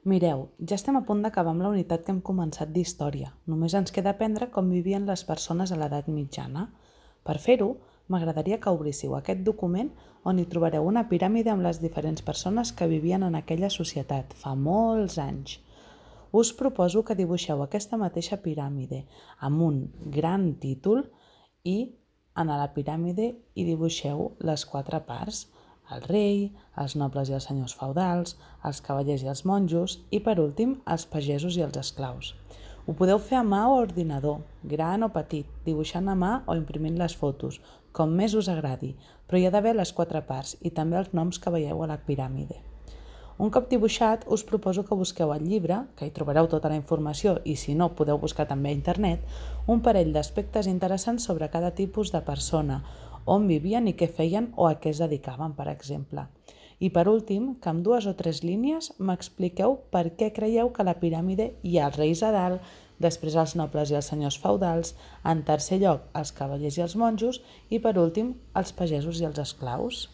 Mireu, ja estem a punt d'acabar amb la unitat que hem començat d'història. Només ens queda aprendre com vivien les persones a l'edat mitjana. Per fer-ho, m'agradaria que obríssiu aquest document on hi trobareu una piràmide amb les diferents persones que vivien en aquella societat fa molts anys. Us proposo que dibuixeu aquesta mateixa piràmide amb un gran títol i en la piràmide hi dibuixeu les 4 parts: el rei, els nobles i els senyors feudals, els cavallers i els monjos i, per últim, els pagesos i els esclaus. Ho podeu fer a mà o a ordinador, gran o petit, dibuixant a mà o imprimint les fotos, com més us agradi, però hi ha d'haver les 4 parts i també els noms que veieu a la piràmide. Un cop dibuixat, us proposo que busqueu al llibre, que hi trobareu tota la informació i si no podeu buscar també a internet, un parell d'aspectes interessants sobre cada tipus de persona, on vivien i què feien o a què es dedicaven, per exemple. I per últim, que amb 2 o 3 línies m'expliqueu per què creieu que a la piràmide hi ha els reis a dalt, després els nobles i els senyors feudals, en tercer lloc els cavallers i els monjos i per últim els pagesos i els esclaus.